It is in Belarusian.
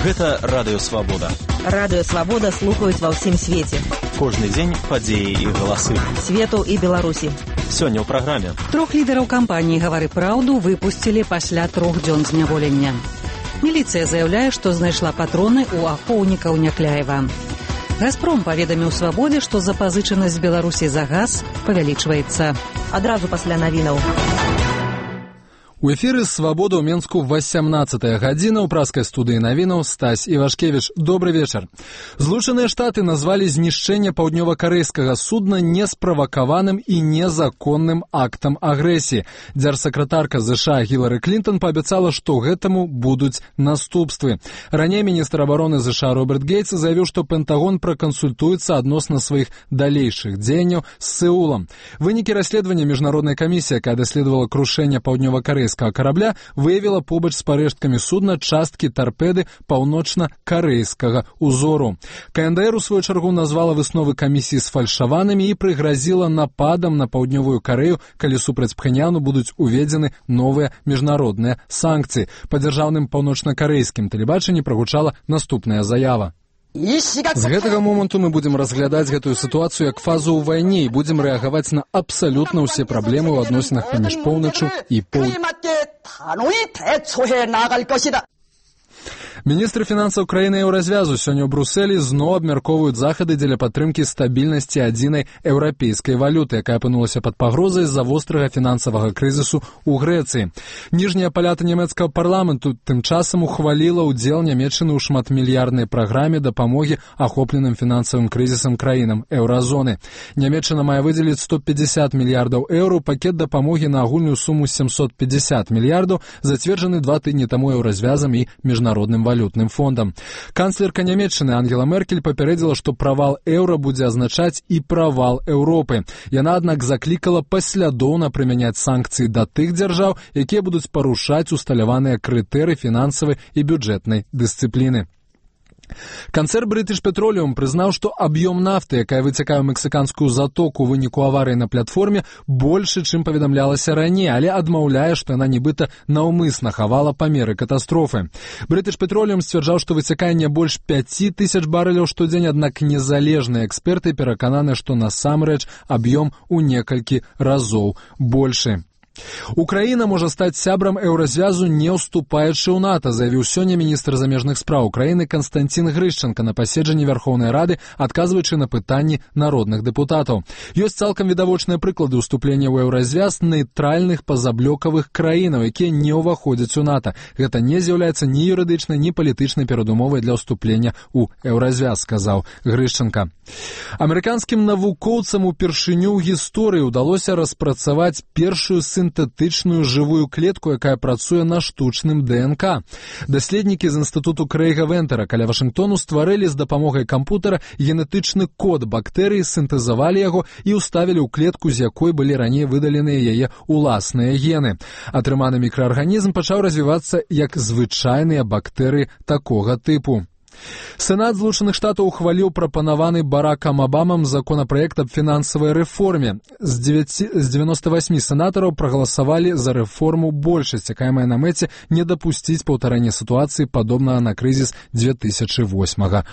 Гэта Радыё Свабода. Радыё Свабода слухаюць ва ўсім свеце. Кожны дзень падзеі і галасы. Свету і Беларусі. Сёння ў праграме. 3 лідараў кампаніі «Гавары праўду» выпусцілі пасля 3 дзён зняволення. Міліцыя заяўляе, што знайшла патроны ў ахоўнікаў Някляева. «Газпром» паведаміў «Свабодзе», што запазычанасць Беларусі за газ павялічваецца. Адразу пасля навінаў. У эфіры «Свабода» ў Менску 18-я гадзіна. У праскай студыі навінаў Стась Івашкевіч. Добры вечар. Злучаныя Штаты назвалі знішчэнне паўднёва-карэйскага судна несправакаваным і незаконным актам агрэсіі. Дзяржсакратарка США Гілары Клінтон паабяцала, што гэтаму будуць наступствы. Раней міністр абароны США Роберт Гейтс заявіў, што Пентагон пракансультуецца адносна сваіх далейшых дзеянняў з Сеулам. Вынікі расследавання міжнароднай камісіі, якая даследавала крушэнне паўднёва-карэйскага корабля, выявила побач з парэшткамі судна часткі тарпеды паўночна-карэйскага узору. КНДР у сваю чаргу назвала высновы камісіі сфальшаванымі і прыгразіла нападам на паўднёвую Карэю, калі супраць Пхеньяну будуць уведзены новыя міжнародныя санкцыі. Па дзяржаўным паўночна-карэйскім тэлебачанні прагучала наступная заява. З гэтага моманту мы будзем разглядаць гэтую сітуацыю як фазу ў вайне і будзем рэагаваць на абсалютна ўсе праблемы ў адносінах паміж поўначчу і поўднем. Міністры фінансаў краіны еўразвязу сёння ў Брусэлі зноў абмяркоўваюць захады дзеля падтрымкі стабільнасці адзінай еўрапейскай валюты, якая апынулася пад пагрозай з-за вострага фінансавага крызісу ў Грэцыі. Ніжняя палата нямецкага парламенту тым часам ухваліла ўдзел Нямецчыны ў шматмільярднай праграме дапамогі ахопленым фінансавым крызісам краінам еўразоны. Нямецчына мае выдзеліць 150 мільярдаў еўро, пакет дапамогі на агульную суму 750 мільярдаў, зацверджаны 2 тыдні таму еўразвязам і міжнародным валютным фондам. Канцлерка Нямецчыны Ангела Меркель папярэдзіла, што правал еўра будзе азначаць і правал Еўропы. Яна, аднак, заклікала паслядоўна прымяняць санкцыі да тых дзяржаў, якія будуць парушаць усталяваныя крытэрыі фінансавай і бюджэтнай дысцыпліны. Канцэрн British Petroleum прызнаў, што аб'ём нафты, якая выцякае ў мексіканскую затоку ў выніку аварыі на платформе, большы, чым паведамлялася раней, але адмаўляе, што яна нібыта наўмысна хавала памеры катастрофы. British Petroleum сцвярджаў, што выцякае не больш 5000 барэляў штодзень, аднак незалежныя эксперты перакананы, што насамрэч аб'ём у некалькі разоў большы. Украіна можа стаць сябрам еўразвязу, не ўступаючы ў НАТО, заявіў сёння міністр замежных спраў Украіны Канстанцін Грышчанка на паседжанні Вярхоўнай Рады, адказваючы на пытанні народных дэпутатаў. Ёсць цалкам відавочныя прыклады ўступлення ў еўразвяз нейтральных пазаблёкавых краінаў, якія не ўваходзяць у НАТО. Гэта не з'яўляецца ні юрыдычнай, ні палітычнай перадумовай для ўступлення ў еўразвяз, сказаў Грышчанка. Амерыканскім навукоўцам упершыню ў гісторыі ўдалося распрацаваць першую сінтэтычную жывую клетку, якая працуе на штучным ДНК. Даследнікі з інстытуту Крэйга Вентера каля Вашынгтону стварылі з дапамогай кампутара генетычны код бактэрыі, сінтэзавалі яго і ўставілі ў клетку, з якой былі раней выдаленыя яе ўласныя гены. Атрыманы мікраарганізм пачаў развівацца як звычайныя бактэрыі такога тыпу. Сенат Злучаных Штатаў ухваліў прапанаваны Баракам Абамам законапраект аб фінансавай рэформе. З 98 сенатараў прагаласавалі за рэформу большасць, якая мае на мэце не дапусціць паўтарэння сітуацыі, падобнага на крызіс 2008